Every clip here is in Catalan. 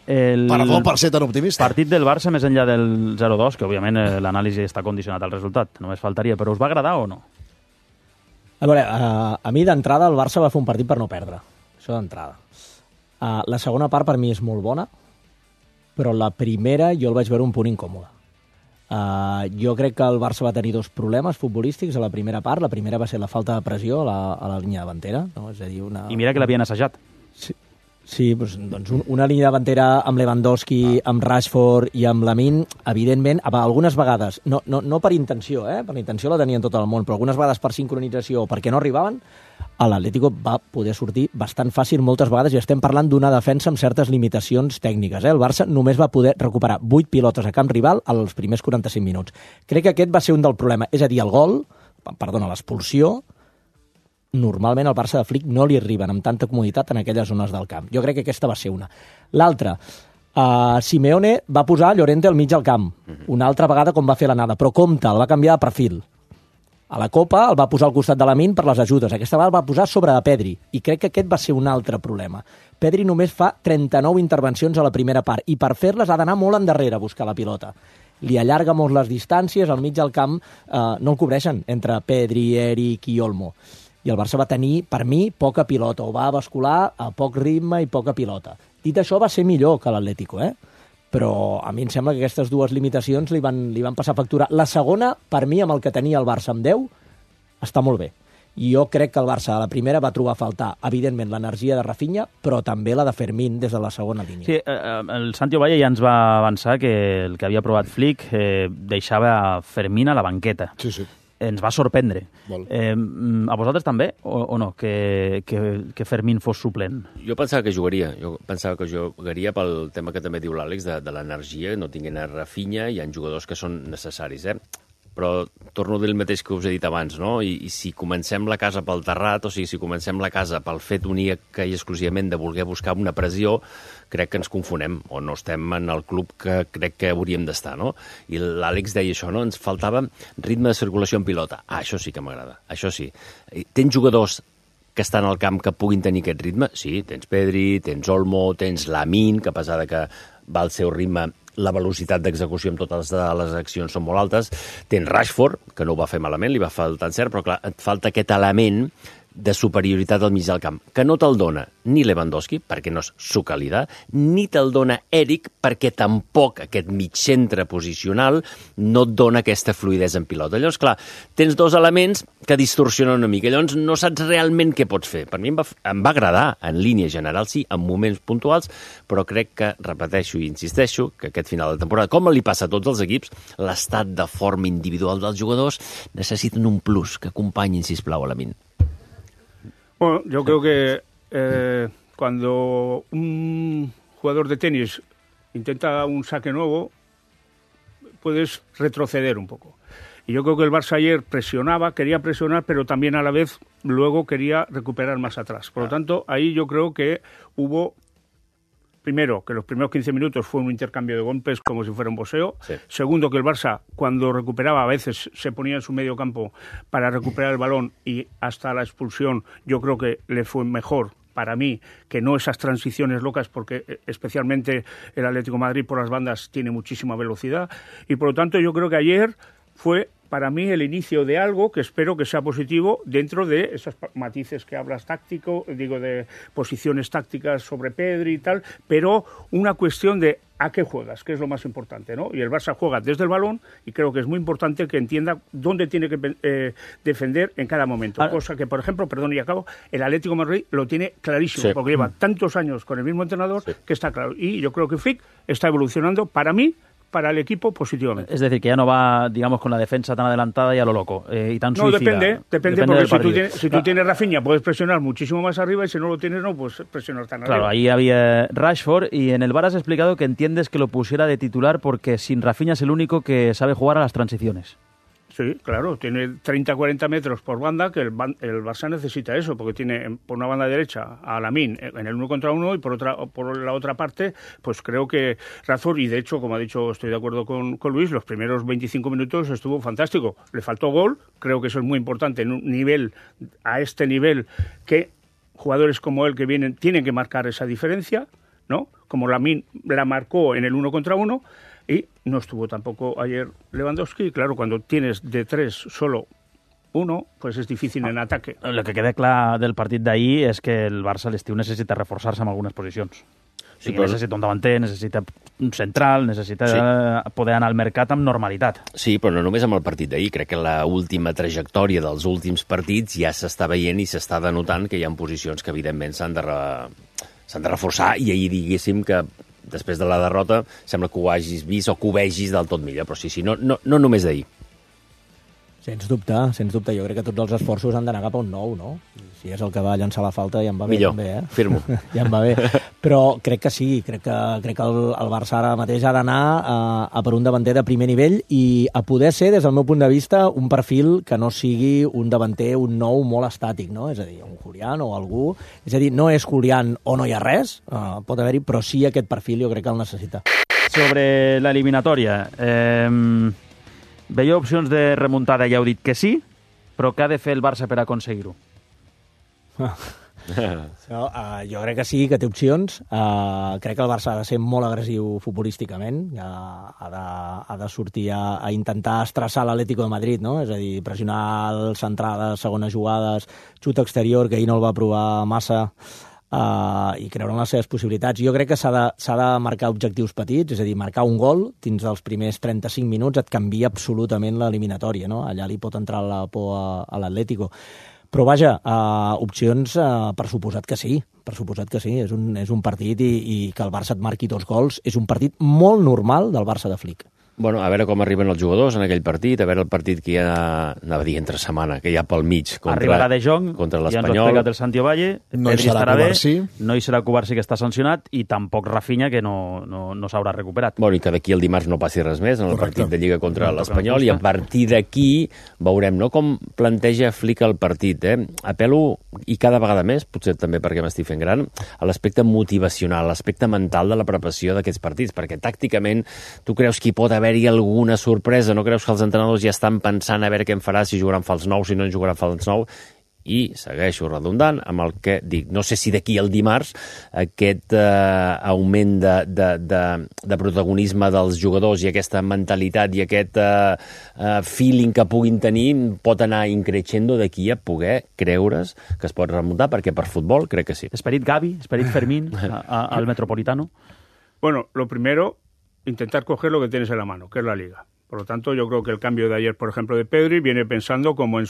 Perdó per ser tan optimista. Partit del Barça més enllà del 0-2, que òbviament l'anàlisi està condicionat al resultat, només faltaria, però us va agradar o no? A veure, a mi d'entrada el Barça va fer un partit per no perdre, això d'entrada. La segona part per mi és molt bona, però la primera jo el vaig veure un punt incòmode. Jo crec que el Barça va tenir dos problemes futbolístics a la primera part. La primera va ser la falta de pressió a la línia davantera. No? És a dir, I mira que l'havien assajat. Sí, doncs una línia davantera amb Lewandowski, amb Rashford i amb Lamine, evidentment, algunes vegades, no per intenció, per la intenció la tenien tot el món, però algunes vegades per sincronització o perquè no arribaven, l'Atlético va poder sortir bastant fàcil moltes vegades i estem parlant d'una defensa amb certes limitacions tècniques. El Barça només va poder recuperar 8 pilotes a camp rival als primers 45 minuts. Crec que aquest va ser un del problema. És a dir, l'expulsió, normalment al Barça de Flick no li arriben amb tanta comoditat en aquelles zones del camp. Jo crec que aquesta va ser una. L'altra, Simeone va posar Llorente al mig del camp, una altra vegada com va fer l'anada, però compte, el va canviar de perfil. A la Copa el va posar al costat de Lamine per les ajudes. Aquesta vegada el va posar sobre de Pedri. I crec que aquest va ser un altre problema. Pedri només fa 39 intervencions a la primera part i per fer-les ha d'anar molt endarrere a buscar la pilota. Li allarga molt les distàncies, al mig del camp no el cobreixen entre Pedri, Eric i Olmo. I el Barça va tenir, per mi, poca pilota, o va bascular a poc ritme i poca pilota. Dit això, va ser millor que l'Atlético, però a mi em sembla que aquestes dues limitacions li van passar factura. La segona, per mi, amb el que tenia el Barça amb 10, està molt bé. I jo crec que el Barça a la primera va trobar a faltar, evidentment, l'energia de Rafinha, però també la de Fermín des de la segona línia. Sí, el Santi Ovalle ja ens va avançar que el que havia provat Flick deixava Fermín a la banqueta. Sí, sí. Ens va sorprendre. A vosaltres també, o no, que Fermín fos suplent? Jo pensava que jugaria. Jo pensava que jugaria pel tema que també diu l'Àlex, de l'energia, no tinguin a Rafinha, hi ha jugadors que són necessaris, Però torno a dir el mateix que us he dit abans, no? I si comencem la casa pel terrat, o sigui, si comencem la casa pel fet únic i exclusivament de voler buscar una pressió, crec que ens confonem, o no estem en el club que crec que hauríem d'estar, no? I l'Àlex deia això, no? Ens faltava ritme de circulació en pilota. Això sí que m'agrada, això sí. Tens jugadors que estan al camp que puguin tenir aquest ritme? Sí, tens Pedri, tens Olmo, tens Lamine, que a pesar de que va al seu ritme, la velocitat d'execució amb totes les accions són molt altes. Tens Rashford, que no ho va fer malament, li va faltar encert, però clar, et falta aquest element de superioritat al mig del camp, que no te'l dona ni Lewandowski, perquè no és su calidad, ni te'l dona Eric, perquè tampoc aquest mig centre posicional no et dona aquesta fluidesa en pilota. Llavors, clar, tens dos elements que distorsionen una mica. Llavors, no saps realment què pots fer. Per mi em va agradar, en línia general, sí, en moments puntuals, però crec que, repeteixo i insisteixo, que aquest final de temporada, com li passa a tots els equips, l'estat de forma individual dels jugadors necessiten un plus que acompanyin, sisplau, a la Lamine. Bueno, yo creo que cuando un jugador de tenis intenta un saque nuevo, puedes retroceder un poco. Y yo creo que el Barça ayer quería presionar, pero también a la vez luego quería recuperar más atrás. Por lo tanto, ahí yo creo que hubo, primero, que los primeros 15 minutos fue un intercambio de golpes como si fuera un boxeo. Sí. Segundo, que el Barça, cuando recuperaba, a veces se ponía en su medio campo para recuperar el balón y hasta la expulsión yo creo que le fue mejor para mí que no esas transiciones locas, porque especialmente el Atlético de Madrid por las bandas tiene muchísima velocidad. Y por lo tanto yo creo que ayer fue para mí el inicio de algo que espero que sea positivo dentro de esos matices que hablas de posiciones tácticas sobre Pedri y tal, pero una cuestión de a qué juegas, que es lo más importante, ¿no? Y el Barça juega desde el balón y creo que es muy importante que entienda dónde tiene que defender en cada momento. Cosa que, por ejemplo, perdón y acabo, el Atlético de Madrid lo tiene clarísimo, porque lleva tantos años con el mismo entrenador que está claro. Y yo creo que Flick está evolucionando, para mí, para el equipo positivamente. Es decir, que ya no va, digamos, con la defensa tan adelantada y a lo loco, y tan suicida. No, depende porque si tú tienes Rafinha puedes presionar muchísimo más arriba y si no lo tienes no puedes presionar tan arriba. Claro, ahí había Rashford y en el VAR has explicado que entiendes que lo pusiera de titular porque sin Rafinha es el único que sabe jugar a las transiciones. Sí, claro, tiene 30-40 metros por banda, que el Barça necesita eso, porque tiene por una banda derecha a Lamine en el 1 contra 1 y por la otra parte, pues creo que Rashford, y de hecho, como ha dicho, estoy de acuerdo con Luis, los primeros 25 minutos estuvo fantástico. Le faltó gol, creo que eso es muy importante en un nivel, a este nivel, que jugadores como él que vienen tienen que marcar esa diferencia. ¿no? Como Lamine la marcó en el 1 contra 1 y no estuvo tampoco ayer Lewandowski. Claro, cuando tienes de 3 solo uno, pues és difícil en ataque. El que queda clar del partit d'ahir és que el Barça a l'estiu necessita reforçar-se en algunes posicions. Sí, però... necessita un davanter, necessita un central, necessita poder anar al mercat amb normalitat. Sí, però no només amb el partit d'ahir. Crec que l'última trajectòria dels últims partits ja s'està veient i s'està denotant que hi ha posicions que evidentment s'han de reforçar, i ahir diguéssim que després de la derrota sembla que ho hagis vist o que ho vegis del tot millor, però sí, no només d'ahir. Sens dubte. Jo crec que tots els esforços han d'anar cap a un nou, no? Si és el que va llançar la falta, ja em va bé. Millor, també, firmo. Ja em va bé. Però crec que sí, crec que el Barça ara mateix ha d'anar a per un davanter de primer nivell i a poder ser, des del meu punt de vista, un perfil que no sigui un davanter, un nou molt estàtic, no? És a dir, un Julián o algú... És a dir, no és Julián o no hi ha res, pot haver-hi, però sí aquest perfil jo crec que el necessita. Sobre l'eliminatòria... Veieu opcions de remuntada, ja heu dit que sí, però què ha de fer el Barça per aconseguir-ho? Jo crec que sí, que té opcions. Crec que el Barça ha de ser molt agressiu futbolísticament, ha de sortir a intentar estressar l'Atlético de Madrid, no? És a dir, pressionar les centrades, segones jugades, xut exterior, que ahir no el va provar massa, i creure en les seves possibilitats. Jo crec que s'ha de marcar objectius petits, és a dir, marcar un gol dins dels primers 35 minuts et canvia absolutament l'eliminatòria, no? Allà li pot entrar la por a l'Atlético. Però vaja, opcions per suposat que sí, és un partit i que el Barça et marqui 2 gols és un partit molt normal del Barça de Flick. Bueno, a veure com arriben els jugadors en aquell partit, a veure el partit que hi ha, anava a dir entre setmana, que hi ha pel mig Arribarà De Jong, contra l'Espanyol. Ja ens ho ha explicat el Santi Ovalle, no hi serà Cubarsí. No hi serà Cubarsí, que està sancionat, i tampoc Rafinha, que no s'haurà recuperat. Bueno, i que d'aquí el dimarts no passi res més en el partit de Lliga contra l'Espanyol, i a partir d'aquí veurem, no?, com planteja Flick el partit. Apel·lo, i cada vegada més, potser també perquè m'estic fent gran, a l'aspecte motivacional, l'aspecte mental de la preparació d'aquests partits, perquè tàcticament tu creus que hi pot haver-hi alguna sorpresa, no creus que els entrenadors ja estan pensant a veure què en farà, si jugaran fals 9, si no en jugaran fals 9, i segueixo redundant amb el que dic. No sé si d'aquí al dimarts aquest augment de protagonisme dels jugadors i aquesta mentalitat i aquest feeling que puguin tenir pot anar increixendo d'aquí a poder creure's que es pot remuntar, perquè per futbol crec que sí. Esperit Gavi, esperit Fermín al Metropolitano. Bueno, lo primero, intentar coger lo que tienes en la mano, que es la Liga. Por lo tanto, yo creo que el cambio de ayer, por ejemplo, de Pedri, viene pensando como el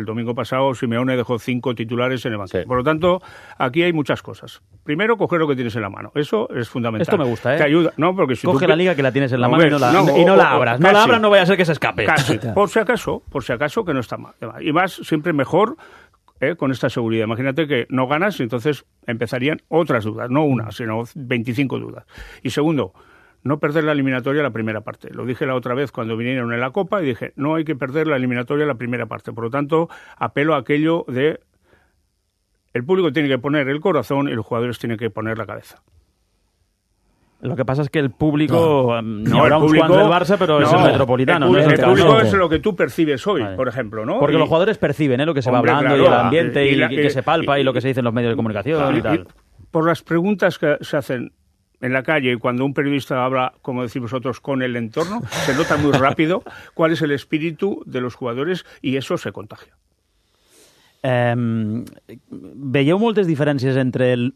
domingo pasado Simeone dejó 5 titulares en el banquillo. Sí. Por lo tanto, aquí hay muchas cosas. Primero, coger lo que tienes en la mano. Eso es fundamental. Esto me gusta, ¿eh? Te ayuda, ¿no? Porque si coge la Liga que la tienes en la mano y no la abras. No la abras, no vaya a ser que se escape. Casi. Por si acaso, que no está mal. Y más, siempre mejor con esta seguridad. Imagínate que no ganas y entonces empezarían otras dudas. No una, sino 25 dudas. Y segundo, no perder la eliminatoria la primera parte. Lo dije la otra vez cuando vinieron en la Copa y dije, no hay que perder la eliminatoria la primera parte. Por lo tanto, apelo a aquello de el público tiene que poner el corazón y los jugadores tienen que poner la cabeza. Lo que pasa es que el público, no habrá un Juan del Barça, pero es el Metropolitano. El público es lo que tú percibes hoy, por ejemplo, ¿no? Porque los jugadores perciben lo que se va hablando, claro, y el ambiente y que se palpa y lo que se dice en los medios de comunicación y tal. Por las preguntas que se hacen en la calle, cuando un periodista habla, como decís vosotros, con el entorno, se nota muy rápido cuál es el espíritu de los jugadores y eso se contagia. Veieu moltes diferències entre el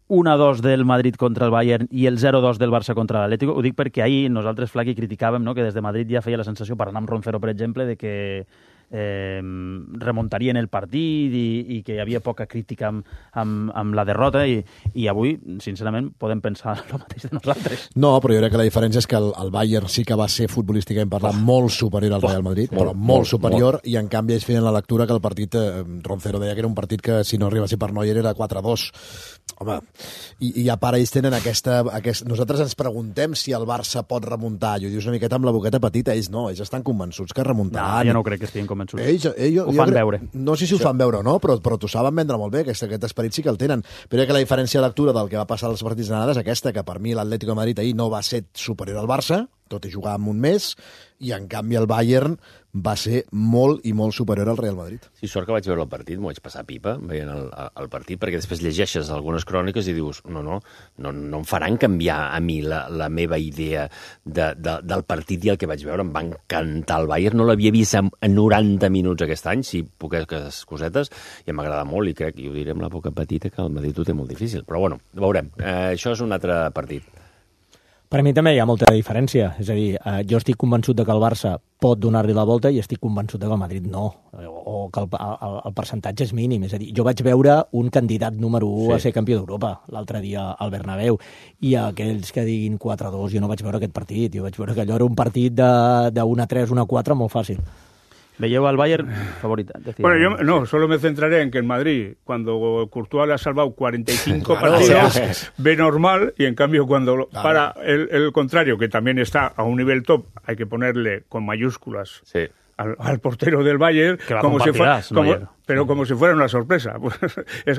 1-2 del Madrid contra el Bayern i el 0-2 del Barça contra l'Atlético? Ho dic perquè ahir nosaltres, Flaqui, criticàvem, no?, que des de Madrid ja feia la sensació, parlant amb Roncero, per exemple, de que remuntarien el partit i que hi havia poca crítica amb la derrota i avui, sincerament, podem pensar el mateix de nosaltres. No, però jo crec que la diferència és que el Bayern sí que va ser futbolísticament parlant molt superior al Real Madrid, però molt superior, i en canvi ells feien la lectura que el partit, Roncero deia que era un partit que si no arriba a ser per Neuer era 4-2. Home, i a part ells tenen aquesta... Nosaltres ens preguntem si el Barça pot remuntar, i ho dius una miqueta amb la boqueta petita, ells no, ells estan convençuts que remuntaran. No, jo no crec que estiguin convençuts. Ells ho fan veure. No sé si ho fan veure o no, però t'ho saben vendre molt bé, aquest esperit sí que el tenen. Però que la diferència de lectura del que va passar als partits d'anada és aquesta, que per mi l'Atlético de Madrid ahir no va ser superior al Barça, tot i jugar amb un mes, i en canvi el Bayern va ser molt i molt superior al Real Madrid. Sí, sort que vaig veure el partit, m'ho vaig passar pipa veient el partit, perquè després llegeixes algunes cròniques i dius, no em faran canviar a mi la meva idea del partit i el que vaig veure. Em va encantar el Bayern, no l'havia vist en 90 minuts aquest any, sí, poques cosetes, i m'agrada molt, i crec, i ho diré amb la boca petita, que el Madrid ho té molt difícil. Però bueno, veurem. Això és un altre partit. Per a mi també hi ha molta diferència. És a dir, jo estic convençut de que el Barça pot donar-li la volta i estic convençut de que el Madrid no, o que el percentatge és mínim. És a dir, jo vaig veure un candidat número 1 a ser campió d'Europa l'altre dia al Bernabéu, i aquells que diguin 4-2, jo no vaig veure aquest partit. Jo vaig veure que allò era un partit de 1-3, 1-4 molt fàcil. ¿Veía al Bayern favorita? Bueno, yo solo me centraré en que en Madrid, cuando Courtois le ha salvado 45 partidos, ve normal, y en cambio cuando para el contrario, que también está a un nivel top, hay que ponerle con mayúsculas al portero del Bayern, como si fuera una sorpresa. Pues,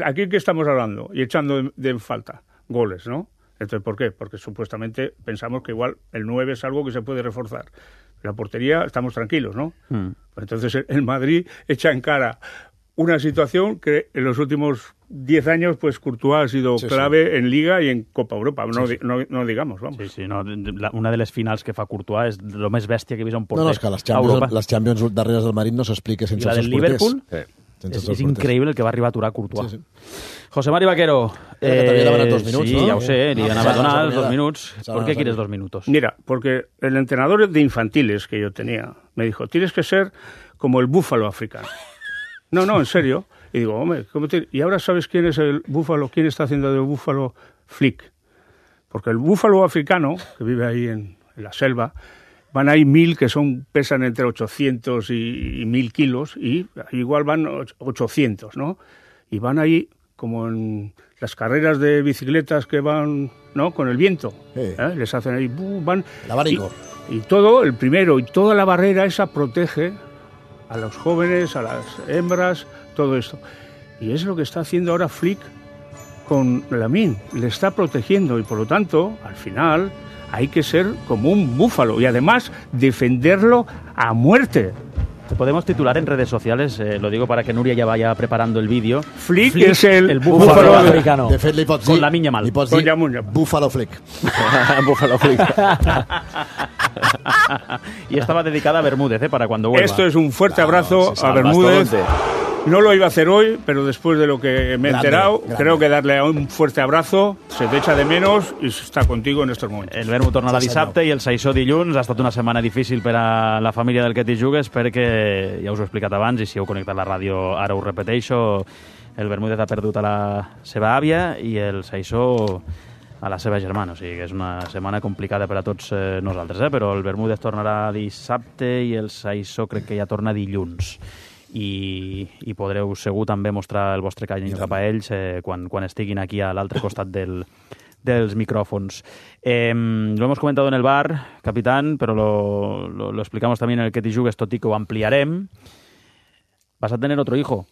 aquí que estamos hablando, y echando de falta goles, ¿no? Entonces, ¿por qué? Porque supuestamente pensamos que igual el 9 es algo que se puede reforzar. La portería estamos tranquilos, ¿no? Pues entonces el Madrid echa en cara una situación que en los últimos 10 años, pues Courtois ha sido clave en Liga y en Copa Europa, no digamos, vamos. Sí, no, una de les finals que fa Courtois és lo més bèstia que he vist a un porter és que les Champions darreres del Madrid no s'explica sense els porters. I la del Liverpool és increïble el que va arribar a aturar Courtois. Sí. José Mari Vaquero. Que t'havia demanat 2 minuts, sí, ¿no? ya lo sé, le anava a donar 2 minutos. ¿Por qué quieres 2 minutos? Mira, porque el entrenador de infantiles que yo tenía me dijo, tienes que ser como el búfalo africano. No, en serio. Y digo, hombre, ¿y ahora sabes quién es el búfalo? ¿Quién está haciendo del búfalo Flick? Porque el búfalo africano, que vive ahí en la selva, van ahí 1000 que pesan entre 800 y 1000 kilos, y igual van 800, ¿no? Y van ahí como en las carreras de bicicletas que van, ¿no?, con el viento. Les hacen ahí, van... El abanico. Y todo, el primero, y toda la barrera esa protege a los jóvenes, a las hembras, todo esto. Y es lo que está haciendo ahora Flick con Lamine. Le está protegiendo, y por lo tanto, al final, hay que ser como un búfalo y además defenderlo a muerte. Podemos titular en redes sociales, lo digo para que Núria ya vaya preparando el vídeo. Flick és el búfalo americano. De fet, li pots dir... Con la minya mal. Li pots dir Búfalo Flick. Búfalo Flick. Y estaba dedicada a Bermúdez, para cuando vuelva. Esto es un fuerte abrazo a Bermúdez. No lo iba a hacer hoy, pero después de lo que me he enterado, creo que darle un fuerte abrazo, se te echa de menos y está contigo en estos momentos. El Bermú tornarà dissabte i el Saissó dilluns. Ha estat una setmana difícil per a la família del que t'hi jugues, perquè ja us ho he explicat abans, i si heu connectat la ràdio ara ho repeteixo, el Bermúdez ha perdut a la seva àvia i el Saissó a la seva germana, o sigui que és una setmana complicada per a tots nosaltres, però el Bermúdez tornarà dissabte i el Saissó crec que ja torna dilluns. I podreu segur també mostrar el vostre carinyo cap a ells quan estiguin aquí a l'altre costat dels micrófonos. Lo hemos comentado en el bar, capitán, pero lo explicamos también en el que te jugues, tot i que ho ampliarem. Vas a tener otro hijo.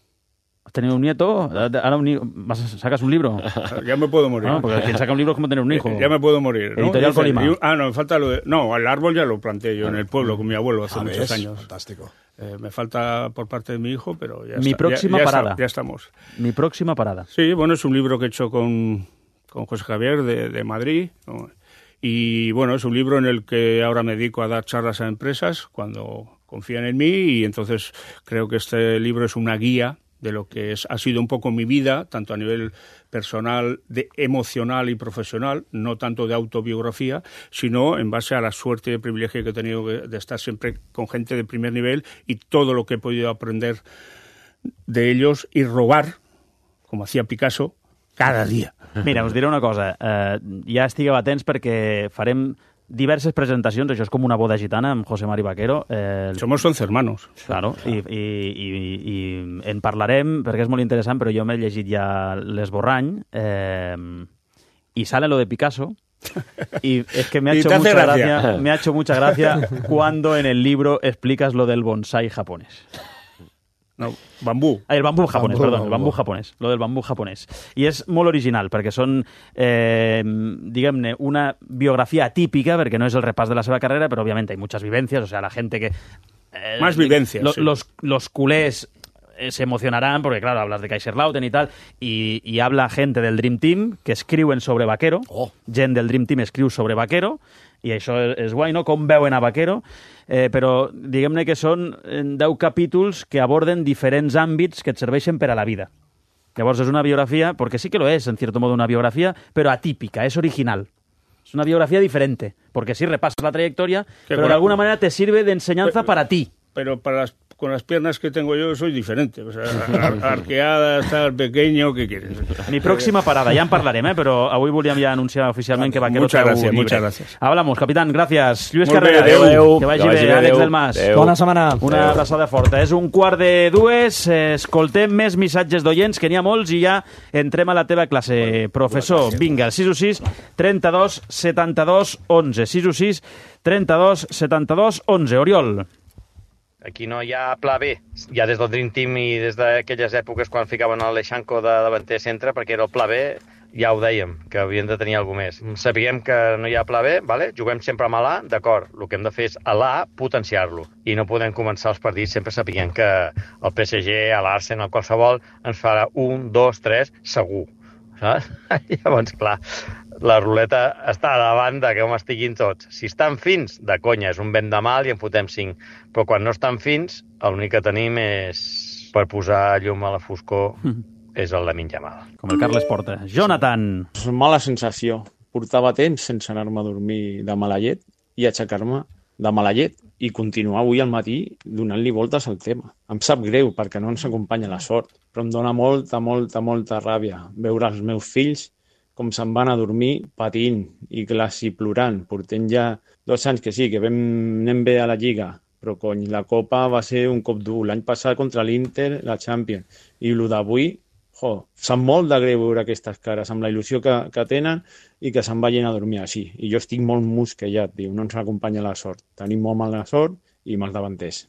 ¿Has tenido un nieto? Ahora ¿sacas un libro? Ya me puedo morir. No, porque quien saca un libro es como tener un hijo. Ya me puedo morir, ¿no? Editorial Colima. No, me falta lo de... No, el árbol ya lo planté yo en el pueblo con mi abuelo hace muchos años. Fantástico. Me falta por parte de mi hijo, pero ya Mi próxima parada. Ya estamos. Mi próxima parada. Sí, bueno, es un libro que he hecho con José Javier de Madrid, ¿no? Y bueno, es un libro en el que ahora me dedico a dar charlas a empresas cuando confían en mí, y entonces creo que este libro es una guía de lo que ha sido un poco mi vida, tanto a nivel personal, emocional y profesional, no tanto de autobiografía, sino en base a la suerte y el privilegio que he tenido de estar siempre con gente de primer nivel y todo lo que he podido aprender de ellos y robar, como hacía Picasso, cada dia. Mira, us diré una cosa. Ja estigueu atents perquè farem diverses presentacions, això és com una boda gitana amb José Mari Vaquero. Somos 11 hermanos. Claro, i en parlarem perquè és molt interessant, però jo m'he llegit ja l'Esborrany y sale lo de Picasso y es que me ha hecho mucha gracia cuando en el libro explicas lo del bonsái japonés. No, bambú. El bambú japonès, perdó, el bambú japonès. Lo del bambú japonès. I és molt original, perquè són, diguem-ne, una biografia atípica, perquè no és el repàs de la seva carrera, però òbviament hi ha muchas vivencias, o sea, la gente que... Más vivencias, sí. Los culés se emocionarán porque, claro, hablas de Kaiserslautern y tal, y habla gente del Dream Team que escriuen sobre Vaquero, gent del Dream Team escriu sobre Vaquero, i això és guai, no?, com veuen a Vaquero, però diguem-ne que són 10 capítols que aborden diferents àmbits que et serveixen per a la vida. Llavors és una biografia, porque sí que lo es, en cierto modo, una biografía, pero atípica, es original. Es una biografía diferente, porque sí repasas la trayectoria, pero de alguna manera te sirve de enseñanza para ti. Pero con las piernas que tengo yo soy diferente. O sea, arqueadas, tal, pequeño, ¿qué quieres? Mi próxima parada, ya en parlarem, però avui volíem ja anunciar oficialment que Vaquero treu llibre. Muchas gracias. Hablamos, capitán, gracias. Lluís Molt bé, Carrera, adeu. que vagi bé, Àlex del Mas. Bona setmana. Una abraçada forta. És 1:45, escoltem més missatges d'oients, que n'hi ha molts, i ja entrem a la teva classe. Professor, vinga, 616 32 72 11. 616 32 72 11. Oriol. Aquí no hi ha pla B, ja des del Dream Team i des d'aquelles èpoques quan ficaven l'Aleixanco de davanter centre, perquè era el pla B, ja ho dèiem, que havien de tenir alguna més. Sapiguem que no hi ha pla B, vale? Juguem sempre amb l'A, d'acord, el que hem de fer és a l'A potenciar-lo, i no podem començar els partits sempre sapiguem que el PSG, l'Arsenal, qualsevol, ens farà 1, 2, 3, segur. Saps? Llavors, clar, la ruleta està davant de que com estiguin tots. Si estan fins, de conya, és un vent de mal i en fotem 5. Però quan no estan fins, l'únic que tenim és, per posar llum a la foscor, és el Lamine Yamal. Com el Carles Porta. Jonathan. És una mala sensació. Portava temps sense anar-me a dormir de mala llet i aixecar-me de mala llet i continuar avui al matí donant-li voltes al tema. Em sap greu perquè no ens acompanya la sort, però em dóna molta ràbia veure els meus fills com se'n van a dormir patint i quasi plorant. Portem ja 2 anys que sí, que anem bé a la Lliga, però cony, la Copa va ser un cop dur. L'any passat contra l'Inter, la Champions. I el d'avui, sap molt de greu veure aquestes cares, amb la il·lusió que tenen i que se'n vagin a dormir així. I jo estic molt mosquejat, diu, no ens acompanya la sort. Tenim molt mala sort i mals davanters.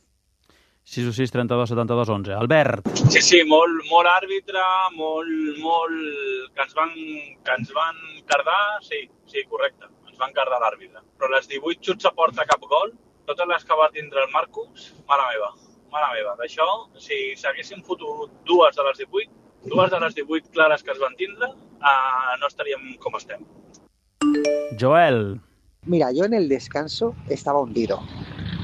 616 32 72 11. Albert. Sí, molt àrbitre, molt que ens van cardar, sí, correcte, ens van cardar l'àrbitre. Però les 18 xuts a porta cap gol, totes les que va tindre el Marcus, mala meva. D'això, si s'haguessin fotut 2 de les 18 clares que es van tindre, no estaríem com estem. Joel. Mira, yo en el descanso estaba hundido.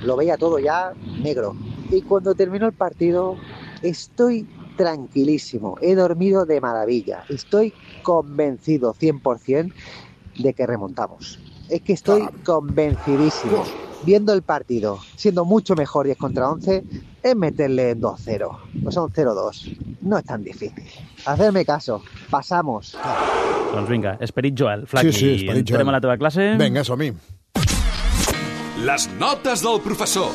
Lo veía todo ya negro. Y cuando terminó el partido, estoy tranquilísimo. He dormido de maravilla. Estoy convencido 100% de que remontamos. Es que estoy convencidísimo. Viendo el partido, siendo mucho mejor 10 contra 11, es meterle 2-0. O son 0-2. No es tan difícil. Hacerme caso. Pasamos. Doncs vinga, esperit Joel. Flaqui, sí, esperit Joel. Entrem a la teva classe. Vinga, som-hi. Les notes del professor.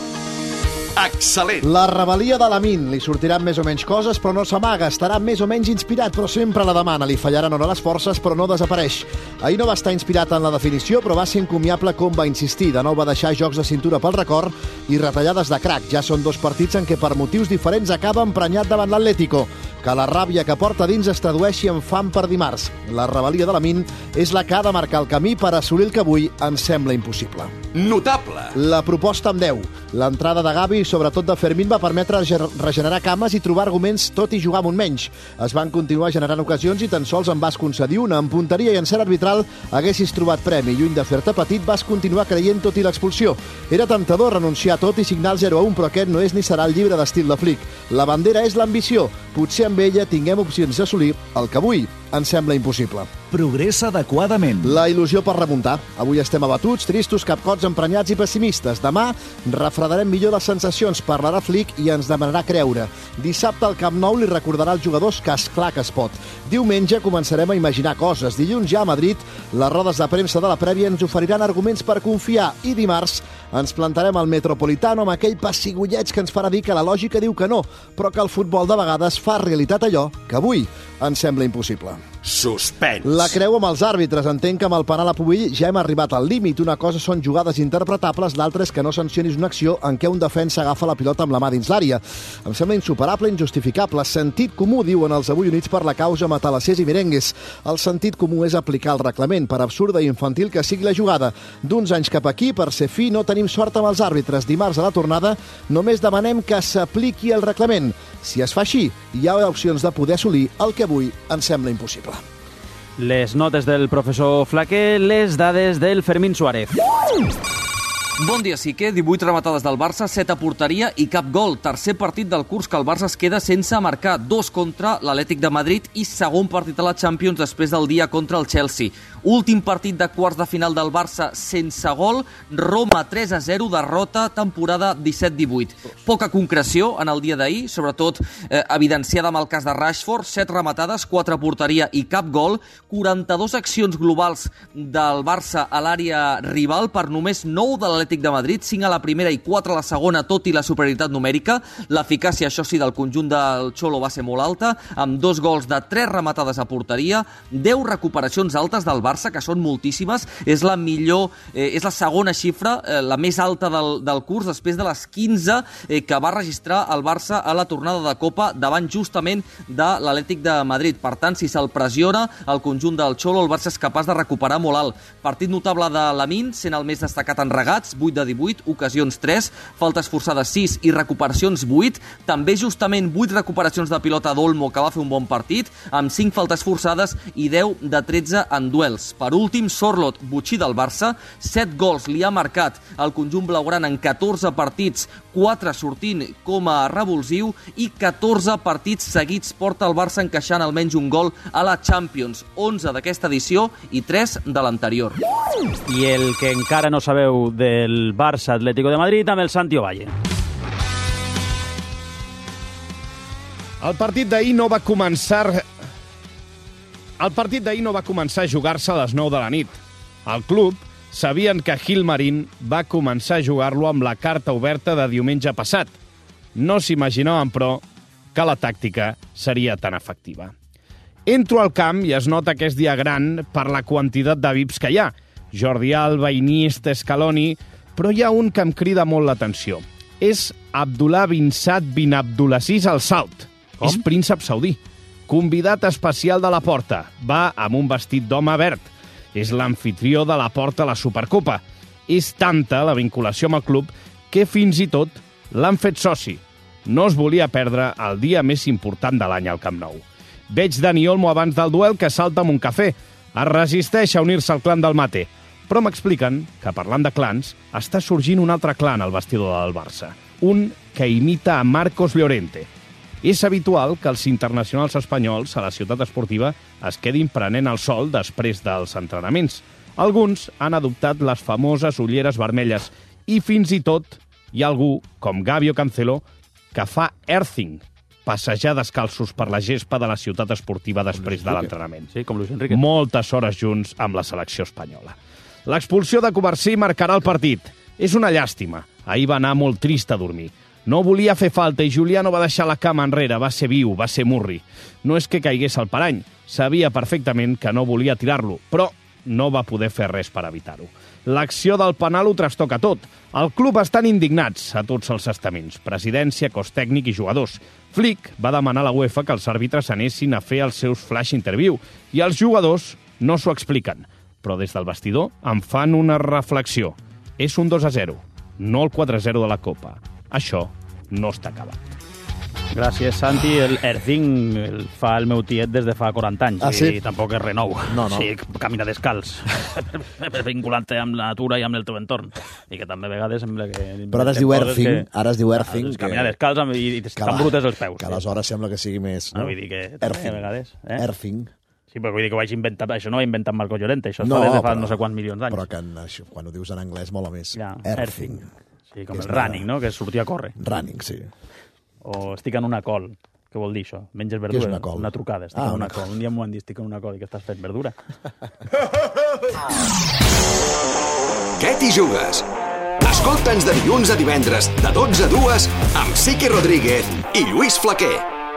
Excel·lent. La rebel·lia de Lamine. Li sortiran més o menys coses, però no s'amaga. Estarà més o menys inspirat, però sempre la demana. Li fallaran o no les forces, però no desapareix. Ahir no va estar inspirat en la definició, però va ser encomiable com va insistir. De nou va deixar jocs de cintura pel record i retallades de crac. Ja són 2 partits en què per motius diferents acaba emprenyat davant l'Atlético. Que la ràbia que porta dins es tradueixi en fam per dimarts. La rebel·lia de Lamine és la que ha de marcar el camí per assolir el que avui ens sembla impossible. Notable. La proposta amb 10. L'entrada de Gavi i sobretot de Fermín va permetre regenerar cames i trobar arguments tot i jugar amb un menys. Es van continuar generant ocasions i tan sols en vas concedir una. En punteria i en cert arbitral haguessis trobat premi. Lluny de fer-te petit, vas continuar creient tot i l'expulsió. Era temptador renunciar a tot i signar el 0-1, però aquest no és ni serà el llibre d'estil de Flick. La bandera és l'ambició. Potser amb ella tinguem opcions d'assolir el que avui ens sembla impossible. Progressa adequadament. La il·lusió per remuntar. Avui estem abatuts, tristos, capcots, emprenyats i pessimistes. Demà refredarem millor les sensacions, parlarà Flick i ens demanarà creure. Dissabte al Camp Nou li recordarà als jugadors que esclar que es pot. Diumenge començarem a imaginar coses. Dilluns ja a Madrid, les rodes de premsa de la prèvia ens oferiran arguments per confiar i dimarts ens plantarem al Metropolitano amb aquell pessigolleig que ens farà dir que la lògica diu que no, però que el futbol de vegades fa realitat realitat allò que avui ens sembla impossible. Suspens. La creu amb els àrbitres. Entenc que amb el penal a Pubill ja hem arribat al límit. Una cosa són jugades interpretables, l'altra és que no sancionis una acció en què un defensa agafa la pilota amb la mà dins l'àrea. Em sembla insuperable, injustificable. Sentit comú, diuen els avui units per la causa matalassers i merengues. El sentit comú és aplicar el reglament, per absurda i infantil que sigui la jugada. D'uns anys cap aquí, per ser fi, no tenim sort amb els àrbitres. Dimarts a la tornada només demanem que s'apliqui el reglament. Si es fa així, hi ha opcions de poder assolir el que avui ens sembla impossible. Les notes del professor Flaquer, les dades del Fermín Suárez. Bon dia, Sique. 18 rematades del Barça, 7 a porteria i cap gol. Tercer partit del curs que el Barça es queda sense marcar. 2 contra l'Atlètic de Madrid i segon partit a la Champions després del dia contra el Chelsea. Últim partit de quarts de final del Barça sense gol. Roma 3-0, derrota, temporada 17-18. Poca concreció en el dia d'ahir, sobretot evidenciada amb el cas de Rashford. 7 rematades, 4 a porteria i cap gol. 42 accions globals del Barça a l'àrea rival per només 9 de l'Atlètic de Madrid, 5 a la primera i 4 a la segona, tot i la superioritat numèrica. L'eficàcia, això sí, del conjunt del Xolo va ser molt alta, amb 2 gols de 3 rematades a porteria, 10 recuperacions altes del Barça, que són moltíssimes. És la millor, és la segona xifra, la més alta del curs, després de les 15 que va registrar el Barça a la tornada de Copa davant justament de l'Atlètic de Madrid. Per tant, si se'l pressiona el conjunt del Xolo, el Barça és capaç de recuperar molt alt. Partit notable de Lamine, sent el més destacat en regats, 8 de 18, ocasions 3, faltes forçades 6 i recuperacions 8. També justament 8 recuperacions de pilota d'Olmo, que va fer un bon partit, amb 5 faltes forçades i 10 de 13 en duels. Per últim, Sorloth, botxí del Barça, 7 gols li ha marcat el conjunt blaugrana en 14 partits, 4 sortint com a revulsiu i 14 partits seguits porta el Barça encaixant almenys un gol a la Champions, 11 d'aquesta edició i 3 de l'anterior. I el que encara no sabeu del Barça Atlético de Madrid amb el Santi Ovalle. El partit d'ahir no va començar a jugar-se a les 9 de la nit. Al club sabien que Gilmarín va començar a jugar-lo amb la carta oberta de diumenge passat. No s'imaginaven, però, que la tàctica seria tan efectiva. Entro al camp i es nota que és dia gran per la quantitat de VIPs que hi ha. Jordi Alba, Iniesta, Scaloni, però hi ha un que em crida molt l'atenció. És Abdullah bin Saad bin Abdulaziz Al Saud. És príncep saudí. Convidat especial de la Porta. Va amb un vestit d'home verd. És l'amfitrió de la Porta a la Supercopa. És tanta la vinculació amb el club que fins i tot l'han fet soci. No es volia perdre el dia més important de l'any al Camp Nou. Veig Dani Olmo abans del duel que salta amb un cafè. Es resisteix a unir-se al clan del mate. Però m'expliquen que, parlant de clans, està sorgint un altre clan al vestidor del Barça. Un que imita a Marcos Llorente. És habitual que els internacionals espanyols a la ciutat esportiva es quedin prenent el sol després dels entrenaments. Alguns han adoptat les famoses ulleres vermelles i fins i tot hi ha algú, com Gavi o Cancelo, que fa earthing, passejar descalços per la gespa de la ciutat esportiva després de l'entrenament. Sí, com Luis Enrique. Moltes hores junts amb la selecció espanyola. L'expulsió de Covarsí marcarà el partit. És una llàstima. Ahir va anar molt trist a dormir. No volia fer falta i Julià no va deixar la cama enrere. Va ser viu, va ser murri. No és que caigués al parany. Sabia perfectament que no volia tirar-lo, però no va poder fer res per evitar-ho. L'acció del penal ho trastoca tot. El club estan indignats a tots els estaments. Presidència, cos tècnic i jugadors. Flick va demanar a la UEFA que els àrbitres anessin a fer els seus flash interview i els jugadors no s'ho expliquen. Però des del vestidor en fan una reflexió. És un 2-0, no el 4-0 de la Copa. Això no està acabat. Gràcies, Santi. El earthing el fa el meu tiet des de fa 40 anys. Ah, sí? I tampoc és renou. No. Sí, camina descalç. Vinculant-te amb la natura i amb el teu entorn. I que també a vegades sembla que... Però ara es diu earthing. Camina descalç i estan brutes els peus. Que aleshores sembla que sigui més... No, vull dir que també a vegades... Earthing. Sí, però vull dir que ho vaig inventar... Això no ho ha inventat Marco Llorente, això fa des de fa no sé quants milions d'anys. Però que quan ho dius en anglès mola més. Ja, Earthing. Sí, com el running, no? Que és sortir a córrer. Running, sí. O estic en una col. Què vol dir això? Menges verdura? Què és una col? Una trucada. Estic en una col. Un dia m'ho han dit, estic en una col. I què estàs fent? Verdura? Què t'hi jugues? Escolta'ns de dilluns a divendres, de 12 a 2, amb Sique Rodríguez i Lluís Flaquer.